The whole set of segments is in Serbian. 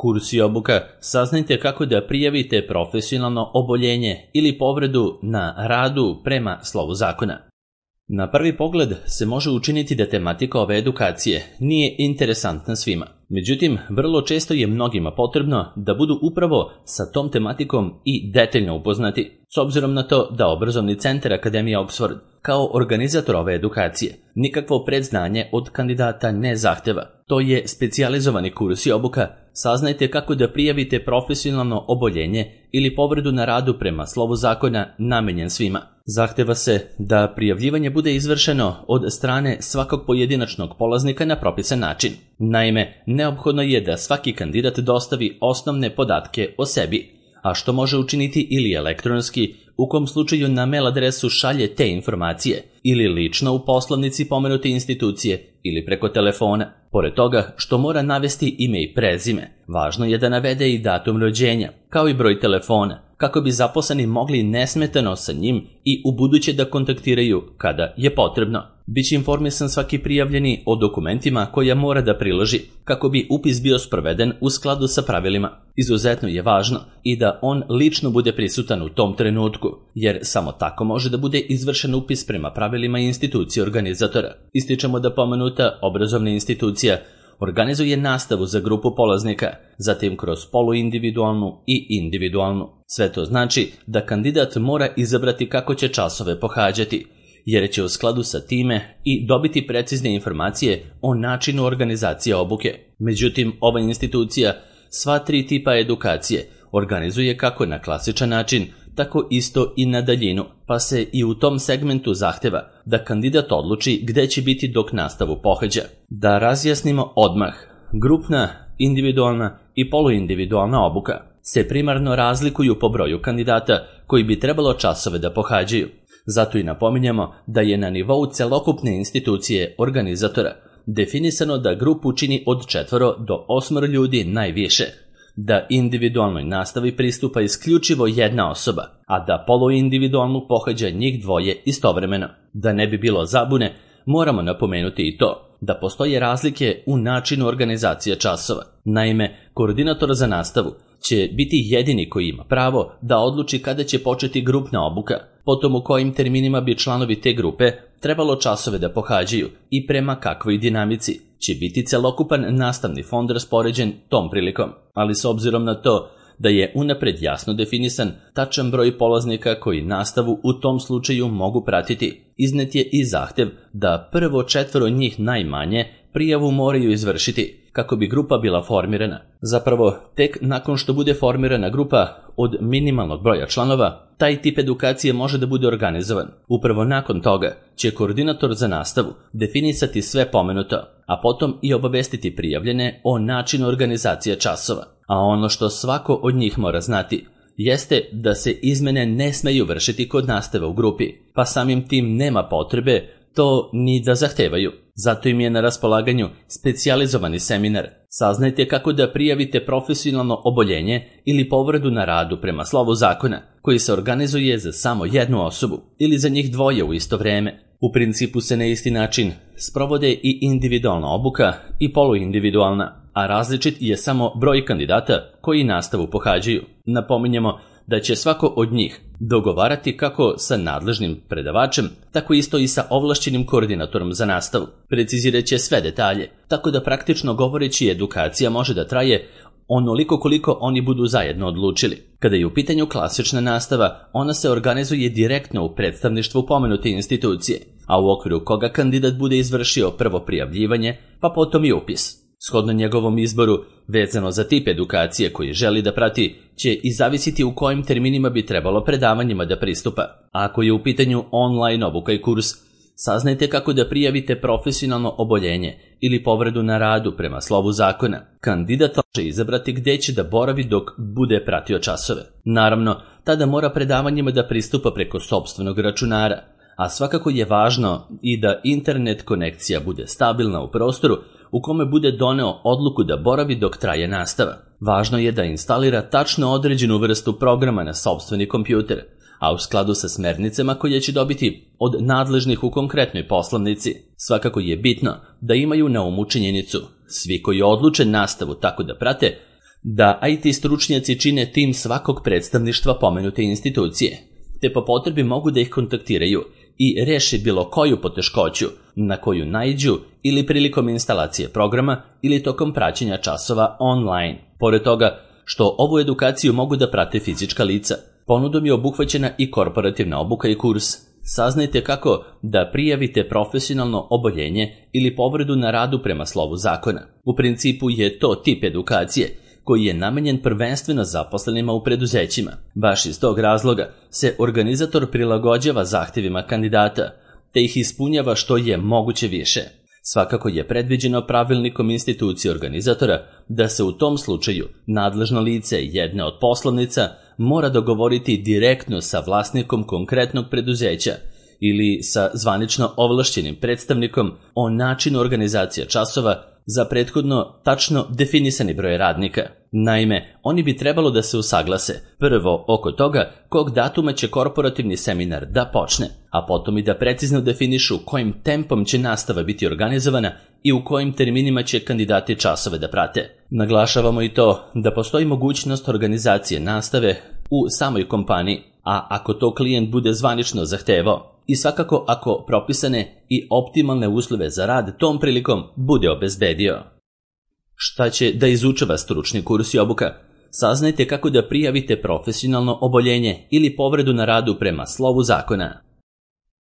Kurs i obuka saznajte kako da prijavite profesionalno oboljenje ili povredu na radu prema slovu zakona. Na prvi pogled se može učiniti da tematika ove edukacije nije interesantna svima. Međutim, vrlo često je mnogima potrebno da budu upravo sa tom tematikom i detaljno upoznati, s obzirom na to da Obrazovni centar Akademije Oxford kao organizator ove edukacije nikakvo predznanje od kandidata ne zahteva. To je specijalizovani kurs i obuka. Saznajte kako da prijavite profesionalno oboljenje ili povredu na radu prema slovu zakona namenjen svima. Zahteva se da prijavljivanje bude izvršeno od strane svakog pojedinačnog polaznika na propisan način. Naime, neophodno je da svaki kandidat dostavi osnovne podatke o sebi, a što može učiniti ili elektronski, u kom slučaju na mail adresu šalje te informacije, ili lično u poslovnici pomenute institucije ili preko telefona. Pored toga što mora navesti ime i prezime, važno je da navede i datum rođenja, kao i broj telefona, kako bi zaposleni mogli nesmetano sa njim i ubuduće da kontaktiraju kada je potrebno. Biće informisan svaki prijavljeni o dokumentima koja mora da priloži, kako bi upis bio sproveden u skladu sa pravilima. Izuzetno je važno i da on lično bude prisutan u tom trenutku, jer samo tako može da bude izvršen upis prema pravilima institucije organizatora. Ističemo da pomenuta obrazovna institucija organizuje nastavu za grupu polaznika, zatim kroz poluindividualnu i individualnu. Sve to znači da kandidat mora izabrati kako će časove pohađati, jer će u skladu sa time i dobiti precizne informacije o načinu organizacije obuke. Međutim, ova institucija sva tri tipa edukacije organizuje kako na klasičan način, tako isto i na daljinu, pa se i u tom segmentu zahteva da kandidat odluči gde će biti dok nastavu pohađa. Da razjasnimo odmah, grupna, individualna i poluindividualna obuka se primarno razlikuju po broju kandidata koji bi trebalo časove da pohađaju. Zato i napominjamo da je na nivou celokupne institucije organizatora definisano da grupu čini od 4 do 8 ljudi najviše, da individualnoj nastavi pristupa isključivo jedna osoba, a da poluindividualnu pohađa njih dvoje istovremeno. Da ne bi bilo zabune, moramo napomenuti i to da postoje razlike u načinu organizacije časova. Naime, koordinator za nastavu će biti jedini koji ima pravo da odluči kada će početi grupna obuka, potom u kojim terminima bi članovi te grupe trebalo časove da pohađaju i prema kakvoj dinamici će biti celokupan nastavni fond raspoređen tom prilikom. Ali s obzirom na to da je unapred jasno definisan tačan broj polaznika koji nastavu u tom slučaju mogu pratiti, iznet je i zahtev da prvo 4 njih najmanje prijavu moraju izvršiti kako bi grupa bila formirana. Zapravo, tek nakon što bude formirana grupa od minimalnog broja članova, taj tip edukacije može da bude organizovan. Upravo nakon toga će koordinator za nastavu definisati sve pomenuto, a potom i obavestiti prijavljene o načinu organizacije časova. A ono što svako od njih mora znati jeste da se izmene ne smeju vršiti kod nastave u grupi, pa samim tim nema potrebe to ni da zahtevaju. Zato im je na raspolaganju specijalizovani seminar. Saznajte kako da prijavite profesionalno oboljenje ili povredu na radu prema slovu zakona, koji se organizuje za samo jednu osobu ili za njih dvoje u isto vreme. U principu se na isti način sprovode i individualna obuka i poluindividualna, a različit je samo broj kandidata koji nastavu pohađaju. Napominjemo da će svako od njih dogovarati kako sa nadležnim predavačem, tako isto i sa ovlašćenim koordinatorom za nastavu. Precizirat će sve detalje, tako da praktično govoreći edukacija može da traje onoliko koliko oni budu zajedno odlučili. Kada je u pitanju klasična nastava, ona se organizuje direktno u predstavništvu pomenute institucije, a u okviru koga kandidat bude izvršio prvo prijavljivanje, pa potom i upis. Shodno njegovom izboru, vezano za tip edukacije koji želi da prati, će i zavisiti u kojim terminima bi trebalo predavanjima da pristupa. Ako je u pitanju online obuka i kurs, saznajte kako da prijavite profesionalno oboljenje ili povredu na radu prema slovu zakona. Kandidat može izabrati gde će da boravi dok bude pratio časove. Naravno, tada mora predavanjima da pristupa preko sopstvenog računara, a svakako je važno i da internet konekcija bude stabilna u prostoru u kome bude doneo odluku da boravi dok traje nastava. Važno je da instalira tačno određenu vrstu programa na sopstveni kompjuter, a u skladu sa smernicama koje će dobiti od nadležnih u konkretnoj poslovnici. Svakako je bitno da imaju na umu činjenicu. Svi koji odluče nastavu tako da prate, da IT stručnjaci čine tim svakog predstavništva pomenute institucije, te po potrebi mogu da ih kontaktiraju i reše bilo koju poteškoću na koju naiđu ili prilikom instalacije programa ili tokom praćenja časova online. Pored toga što ovu edukaciju mogu da prate fizička lica, ponudom je obuhvaćena i korporativna obuka i kurs. Saznajte kako da prijavite profesionalno oboljenje ili povredu na radu prema slovu zakona. U principu je to tip edukacije koji je namenjen prvenstveno zaposlenima u preduzećima. Baš iz tog razloga se organizator prilagođava zahtjevima kandidata, te ih ispunjava što je moguće više. Svakako je predviđeno pravilnikom institucije organizatora da se u tom slučaju nadležno lice jedne od poslovnica mora dogovoriti direktno sa vlasnikom konkretnog preduzeća ili sa zvanično ovlašćenim predstavnikom o načinu organizacije časova za prethodno tačno definisani broj radnika. Naime, oni bi trebalo da se usaglase prvo oko toga kog datuma će korporativni seminar da počne, a potom i da precizno definišu kojim tempom će nastava biti organizovana i u kojim terminima će kandidati časove da prate. Naglašavamo i to da postoji mogućnost organizacije nastave u samoj kompaniji, a ako to klijent bude zvanično zahtevao, i svakako ako propisane i optimalne uslove za rad tom prilikom bude obezbedio. Šta će da izučava stručni kurs i obuka? Saznajte kako da prijavite profesionalno oboljenje ili povredu na radu prema slovu zakona.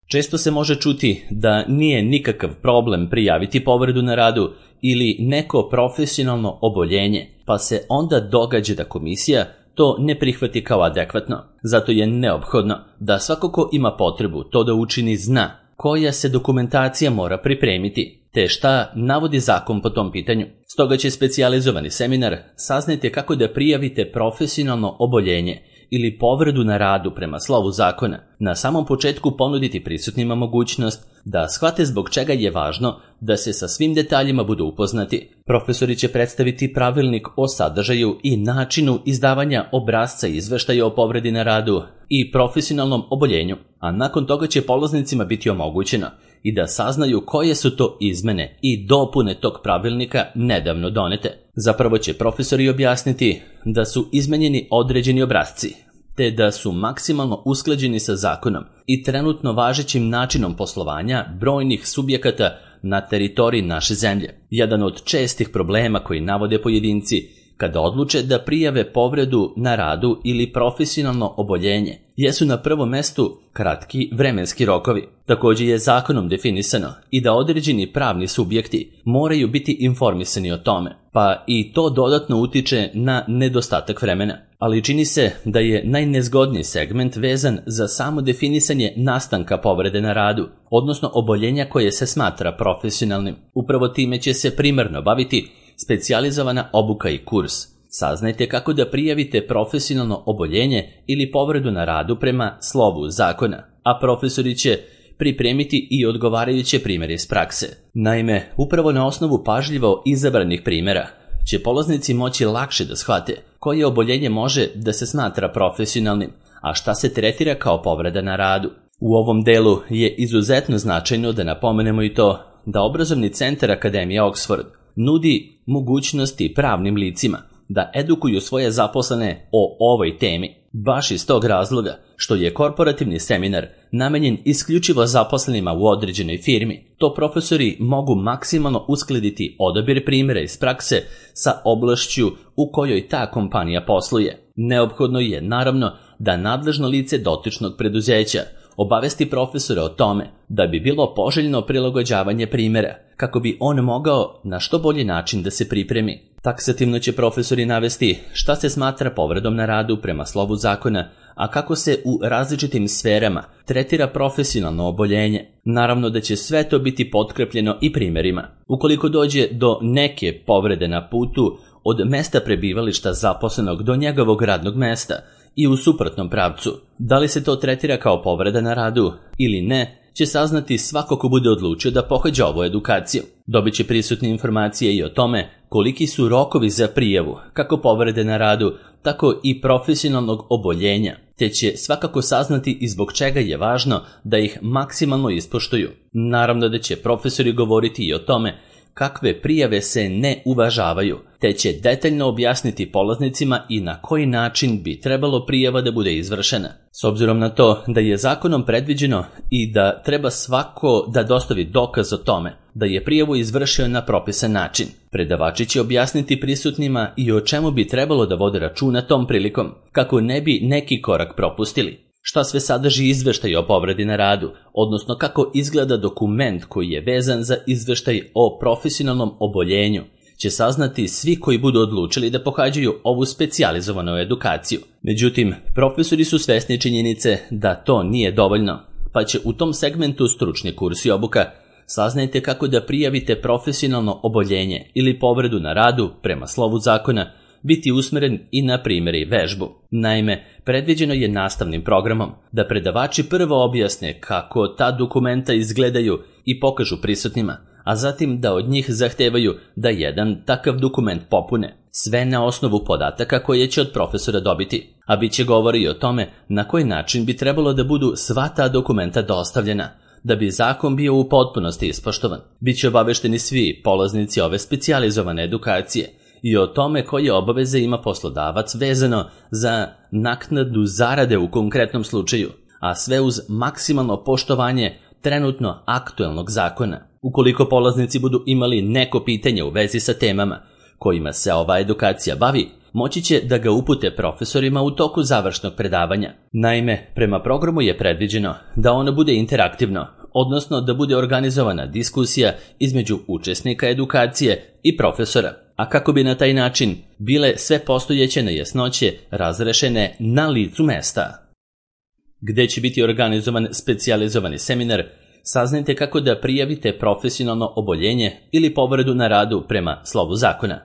Često se može čuti da nije nikakav problem prijaviti povredu na radu ili neko profesionalno oboljenje, pa se onda događa da komisija to ne prihvati kao adekvatno. Zato je neophodno da svako ko ima potrebu to da učini zna koja se dokumentacija mora pripremiti, te šta navodi zakon po tom pitanju. Stoga će specijalizovani seminar Saznajte kako da prijavite profesionalno oboljenje ili povredu na radu prema slovu zakona na samom početku ponuditi prisutnima mogućnost da shvate zbog čega je važno da se sa svim detaljima budu upoznati. Profesori će predstaviti pravilnik o sadržaju i načinu izdavanja obrasca izveštaja o povredi na radu i profesionalnom oboljenju, a nakon toga će polaznicima biti omogućeno i da saznaju koje su to izmene i dopune tog pravilnika nedavno donete. Zapravo će profesori objasniti da su izmenjeni određeni obrasci, te da su maksimalno usklađeni sa zakonom i trenutno važećim načinom poslovanja brojnih subjekata na teritoriji naše zemlje. Jedan od čestih problema koji navode pojedinci kada odluče da prijave povredu na radu ili profesionalno oboljenje jesu na prvom mestu kratki vremenski rokovi. Također je zakonom definisano i da određeni pravni subjekti moraju biti informisani o tome, pa i to dodatno utiče na nedostatak vremena. Ali čini se da je najnezgodniji segment vezan za samo definisanje nastanka povrede na radu, odnosno oboljenja koje se smatra profesionalnim. Upravo time će se primarno baviti specijalizovana obuka i kurs. Saznajte kako da prijavite profesionalno oboljenje ili povredu na radu prema slovu zakona, a profesori će pripremiti i odgovarajuće primjere iz prakse. Naime, upravo na osnovu pažljivo izabranih primjera će polaznici moći lakše da shvate koje oboljenje može da se smatra profesionalnim, a šta se tretira kao povreda na radu. U ovom delu je izuzetno značajno da napomenemo i to da obrazovni centar Akademije Oxford nudi mogućnosti pravnim licima da edukuju svoje zaposlene o ovoj temi. Baš iz tog razloga što je korporativni seminar namenjen isključivo zaposlenima u određenoj firmi, to profesori mogu maksimalno uskladiti odabir primjera iz prakse sa oblašću u kojoj ta kompanija posluje. Neophodno je naravno da nadležno lice dotičnog preduzeća obavesti profesora o tome da bi bilo poželjno prilagođavanje primjera, kako bi on mogao na što bolji način da se pripremi. Taksativno će profesori navesti šta se smatra povredom na radu prema slovu zakona, a kako se u različitim sferama tretira profesionalno oboljenje. Naravno da će sve to biti potkrepljeno i primjerima. Ukoliko dođe do neke povrede na putu od mesta prebivališta zaposlenog do njegovog radnog mesta i u suprotnom pravcu, da li se to tretira kao povreda na radu ili ne, će saznati svako ko bude odlučio da pohađa ovu edukaciju. Dobit će prisutne informacije i o tome koliki su rokovi za prijavu, kako povrede na radu, tako i profesionalnog oboljenja, te će svakako saznati i zbog čega je važno da ih maksimalno ispoštuju. Naravno da će profesori govoriti i o tome kakve prijave se ne uvažavaju, te će detaljno objasniti polaznicima i na koji način bi trebalo prijava da bude izvršena. S obzirom na to da je zakonom predviđeno i da treba svako da dostavi dokaz o tome da je prijavu izvršio na propisan način, predavači će objasniti prisutnima i o čemu bi trebalo da vode računa tom prilikom, kako ne bi neki korak propustili. Šta sve sadrži izveštaj o povredi na radu, odnosno kako izgleda dokument koji je vezan za izveštaj o profesionalnom oboljenju, će saznati svi koji budu odlučili da pohađaju ovu specijalizovanu edukaciju. Međutim, profesori su svesni činjenice da to nije dovoljno, pa će u tom segmentu stručni kurs i obuka. Saznajte kako da prijavite profesionalno oboljenje ili povredu na radu prema slovu zakona, biti usmeren i na primjer i vežbu. Naime, predviđeno je nastavnim programom da predavači prvo objasne kako ta dokumenta izgledaju i pokažu prisutnima, a zatim da od njih zahtevaju da jedan takav dokument popune, sve na osnovu podataka koje će od profesora dobiti, a bit će govori i o tome na koji način bi trebalo da budu sva ta dokumenta dostavljena, da bi zakon bio u potpunosti ispoštovan. Biće obavešteni svi polaznici ove specijalizovane edukacije i o tome koje obaveze ima poslodavac vezano za naknadu zarade u konkretnom slučaju, a sve uz maksimalno poštovanje trenutno aktuelnog zakona. Ukoliko polaznici budu imali neko pitanje u vezi sa temama kojima se ova edukacija bavi, moći će da ga upute profesorima u toku završnog predavanja. Naime, prema programu je predviđeno da ono bude interaktivno, odnosno da bude organizovana diskusija između učesnika edukacije i profesora, a kako bi na taj način bile sve postojeće nejasnoće razrešene na licu mesta. Gde će biti organizovan specijalizovani seminar, saznajte kako da prijavite profesionalno oboljenje ili povredu na radu prema slovu zakona.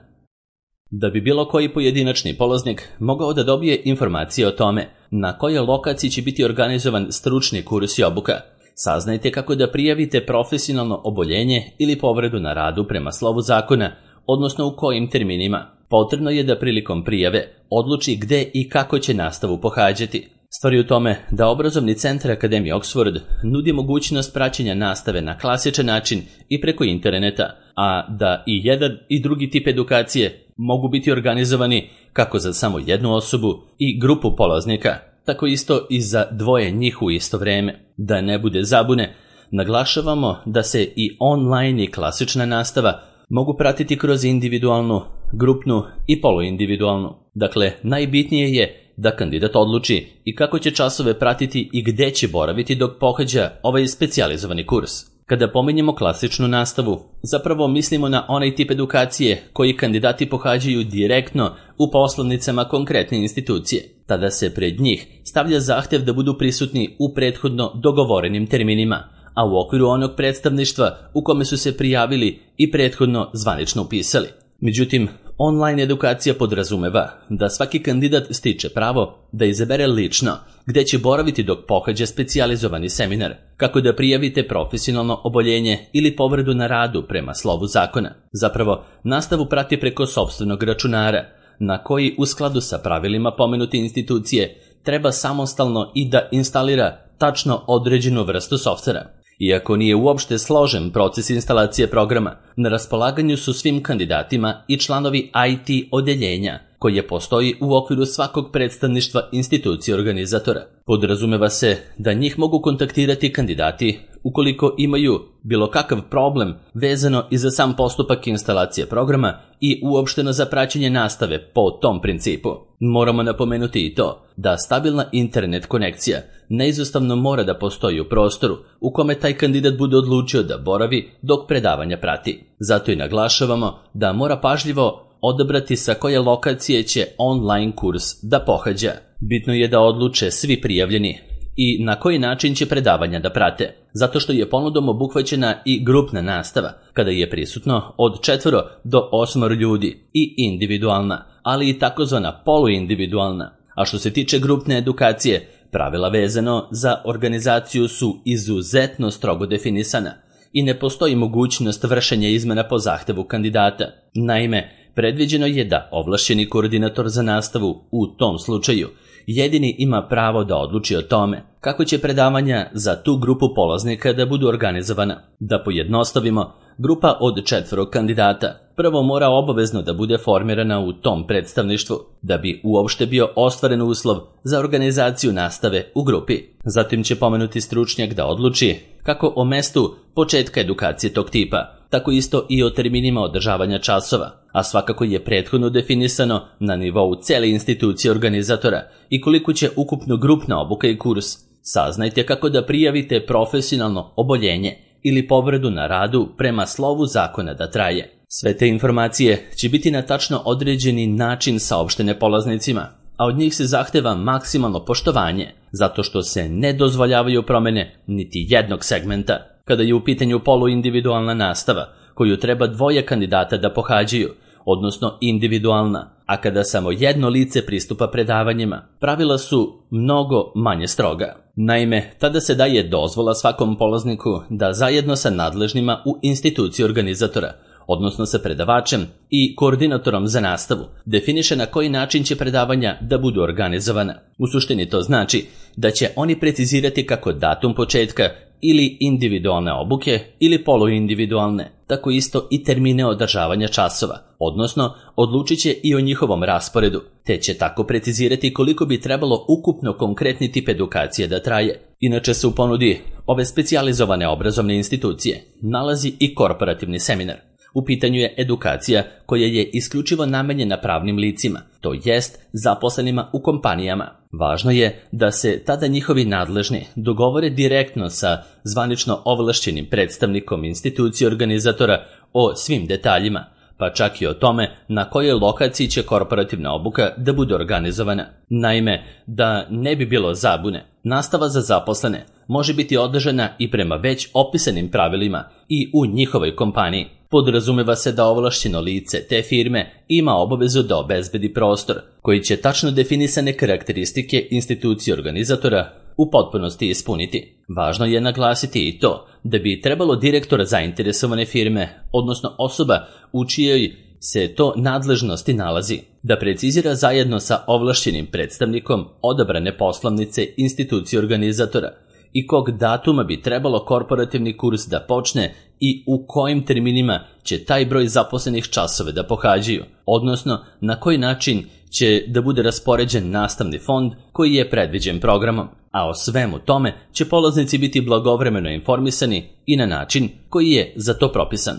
Da bi bilo koji pojedinačni polaznik mogao da dobije informacije o tome na kojoj lokaciji će biti organizovan stručni kurs i obuka, saznajte kako da prijavite profesionalno oboljenje ili povredu na radu prema slovu zakona, odnosno u kojim terminima. Potrebno je da prilikom prijave odluči gde i kako će nastavu pohađati. Stvar je u tome da obrazovni centar Akademije Oxford nudi mogućnost praćenja nastave na klasičan način i preko interneta, a da i jedan i drugi tip edukacije mogu biti organizovani kako za samo jednu osobu i grupu polaznika, tako isto i za dvoje njih u isto vreme. Da ne bude zabune, naglašavamo da se i online i klasična nastava mogu pratiti kroz individualnu, grupnu i poluindividualnu. Dakle, najbitnije je da kandidat odluči i kako će časove pratiti i gde će boraviti dok pohađa ovaj specijalizovani kurs. Kada pominjemo klasičnu nastavu, zapravo mislimo na onaj tip edukacije koji kandidati pohađaju direktno u poslovnicama konkretne institucije. Tada se pred njih stavlja zahtev da budu prisutni u prethodno dogovorenim terminima, a u okviru onog predstavništva u kome su se prijavili i prethodno zvanično upisali. Međutim, online edukacija podrazumeva da svaki kandidat stiče pravo da izabere lično gde će boraviti dok pohađa specijalizovani seminar, kako da prijavite profesionalno oboljenje ili povredu na radu prema slovu zakona. Zapravo, nastavu prati preko sopstvenog računara, na koji u skladu sa pravilima pomenute institucije treba samostalno i da instalira tačno određenu vrstu softvera. Iako nije uopšte složen proces instalacije programa, na raspolaganju su svim kandidatima i članovi IT odeljenja, koje postoji u okviru svakog predstavništva institucije organizatora. Podrazumeva se da njih mogu kontaktirati kandidati ukoliko imaju bilo kakav problem vezano i za sam postupak instalacije programa i uopšteno za praćenje nastave po tom principu. Moramo napomenuti i to da stabilna internet konekcija neizostavno mora da postoji u prostoru u kome taj kandidat bude odlučio da boravi dok predavanja prati. Zato i naglašavamo da mora pažljivo odabrati sa koje lokacije će online kurs da pohađa. Bitno je da odluče svi prijavljeni i na koji način će predavanja da prate, zato što je ponudom obuhvaćena i grupna nastava, kada je prisutno od 4 do 8 ljudi, i individualna, ali i takozvana poluindividualna. A što se tiče grupne edukacije, pravila vezano za organizaciju su izuzetno strogo definisana i ne postoji mogućnost vršenja izmena po zahtevu kandidata. Naime, predviđeno je da ovlašćeni koordinator za nastavu u tom slučaju jedini ima pravo da odluči o tome kako će predavanja za tu grupu polaznika da budu organizovana. Da pojednostavimo, grupa od 4 kandidata prvo mora obavezno da bude formirana u tom predstavništvu, da bi uopšte bio ostvaren uslov za organizaciju nastave u grupi. Zatim će pomenuti stručnjak da odluči kako o mestu početka edukacije tog tipa, tako isto i o terminima održavanja časova, a svakako je prethodno definisano na nivou cele institucije organizatora i koliko će ukupno grupna obuka i kurs. Saznajte kako da prijavite profesionalno oboljenje ili povredu na radu prema slovu zakona da traje. Sve te informacije će biti na tačno određeni način saopštene polaznicima, a od njih se zahteva maksimalno poštovanje, zato što se ne dozvoljavaju promene niti jednog segmenta. Kada je u pitanju poluindividualna nastava, koju treba 2 kandidata da pohađaju, odnosno individualna, a kada samo jedno lice pristupa predavanjima, pravila su mnogo manje stroga. Naime, tada se daje dozvola svakom polazniku da zajedno sa nadležnima u instituciji organizatora, odnosno sa predavačem i koordinatorom za nastavu, definiše na koji način će predavanja da budu organizovana. U suštini to znači da će oni precizirati kako datum početka ili individualne obuke ili poluindividualne, tako isto i termine održavanja časova, odnosno odlučit će i o njihovom rasporedu, te će tako precizirati koliko bi trebalo ukupno konkretni tip edukacije da traje. Inače se u ponudi ove specijalizovane obrazovne institucije nalazi i korporativni seminar. U pitanju je edukacija koja je isključivo namenjena pravnim licima, to jest zaposlenima u kompanijama. Važno je da se tada njihovi nadležni dogovore direktno sa zvanično ovlašćenim predstavnikom institucije organizatora o svim detaljima, pa čak i o tome na kojoj lokaciji će korporativna obuka da bude organizovana. Naime, da ne bi bilo zabune, nastava za zaposlene može biti održana i prema već opisanim pravilima i u njihovoj kompaniji. Podrazumeva se da ovlašćeno lice te firme ima obavezu da obezbedi prostor, koji će tačno definisane karakteristike institucije organizatora u potpunosti ispuniti. Važno je naglasiti i to da bi trebalo direktor zainteresovane firme, odnosno osoba u čijoj se to nadležnosti nalazi, da precizira zajedno sa ovlašćenim predstavnikom odabrane poslovnice institucije organizatora i kog datuma bi trebalo korporativni kurs da počne i u kojim terminima će taj broj zaposlenih časove da pohađaju, odnosno na koji način će da bude raspoređen nastavni fond koji je predviđen programom, a o svemu tome će polaznici biti blagovremeno informisani i na način koji je za to propisan.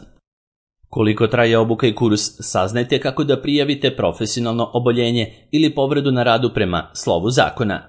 Koliko traje obuka i kurs, saznajte kako da prijavite profesionalno oboljenje ili povredu na radu prema slovu zakona.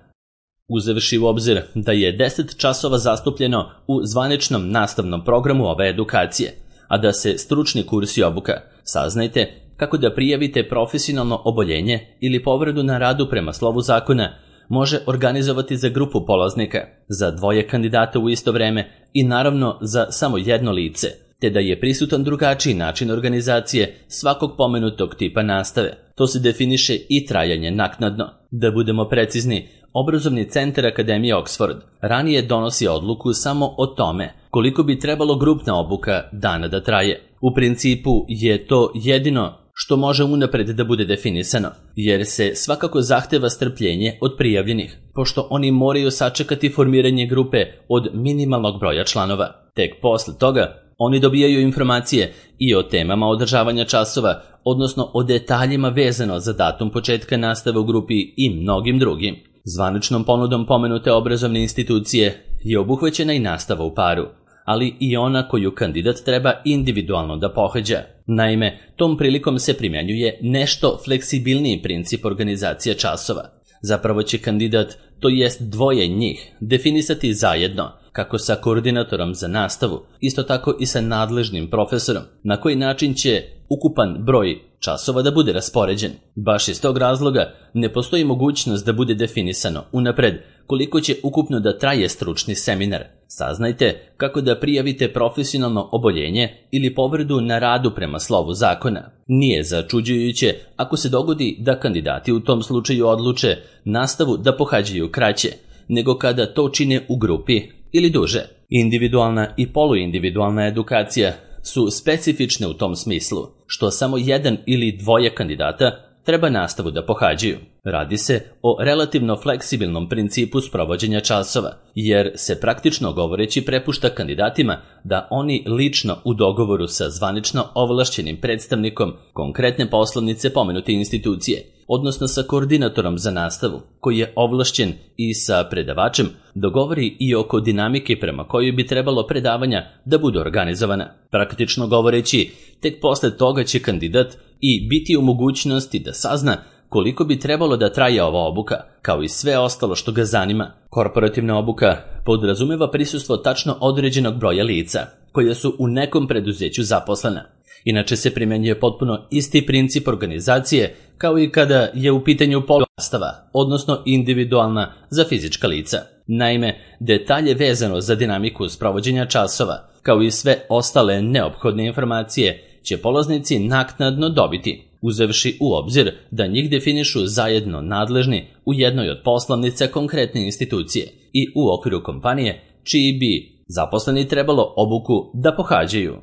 Uzevši u obzir da je 10 časova zastupljeno u zvaničnom nastavnom programu ove edukacije, a da se stručni kurs i obuka, saznajte kako da prijavite profesionalno oboljenje ili povredu na radu prema slovu zakona može organizovati za grupu polaznika, za 2 kandidata u isto vreme i naravno za samo jedno lice, te da je prisutan drugačiji način organizacije svakog pomenutog tipa nastave. To se definiše i trajanje naknadno. Da budemo precizni, Obrazovni centar Akademije Oxford ranije donosi odluku samo o tome koliko bi trebalo grupna obuka dana da traje. U principu je to jedino što može unapred da bude definisano, jer se svakako zahteva strpljenje od prijavljenih, pošto oni moraju sačekati formiranje grupe od minimalnog broja članova. Tek posle toga oni dobijaju informacije i o temama održavanja časova, odnosno o detaljima vezano za datum početka nastave u grupi i mnogim drugim. Zvaničnom ponudom pomenute obrazovne institucije je obuhvaćena i nastava u paru, ali i ona koju kandidat treba individualno da pohađa. Naime, tom prilikom se primjenjuje nešto fleksibilniji princip organizacije časova. Zapravo će kandidat, to jest 2 njih, definisati zajedno, kako sa koordinatorom za nastavu, isto tako i sa nadležnim profesorom, na koji način će ukupan broj časova da bude raspoređen. Baš iz tog razloga ne postoji mogućnost da bude definisano unapred koliko će ukupno da traje stručni seminar. Saznajte kako da prijavite profesionalno oboljenje ili povredu na radu prema slovu zakona. Nije začuđujuće ako se dogodi da kandidati u tom slučaju odluče nastavu da pohađaju kraće, nego kada to čine u grupi ili duže. Individualna i poluindividualna edukacija su specifične u tom smislu, što samo 1 ili 2 kandidata treba nastavu da pohađaju. Radi se o relativno fleksibilnom principu sprovođenja časova, jer se praktično govoreći prepušta kandidatima da oni lično u dogovoru sa zvanično ovlašćenim predstavnikom konkretne poslovnice pomenute institucije, odnosno sa koordinatorom za nastavu, koji je ovlašćen, i sa predavačem dogovori i oko dinamike prema kojoj bi trebalo predavanja da budu organizovana. Praktično govoreći, tek posle toga će kandidat i biti u mogućnosti da sazna koliko bi trebalo da traje ova obuka, kao i sve ostalo što ga zanima. Korporativna obuka podrazumeva prisustvo tačno određenog broja lica, koja su u nekom preduzeću zaposlena. Inače se primjenjuje potpuno isti princip organizacije kao i kada je u pitanju nastava, odnosno individualna za fizička lica. Naime, detalje vezano za dinamiku sprovođenja časova, kao i sve ostale neophodne informacije, će polaznici naknadno dobiti, uzevši u obzir da njih definišu zajedno nadležni u jednoj od poslovnica konkretne institucije i u okviru kompanije čiji bi zaposleni trebalo obuku da pohađaju.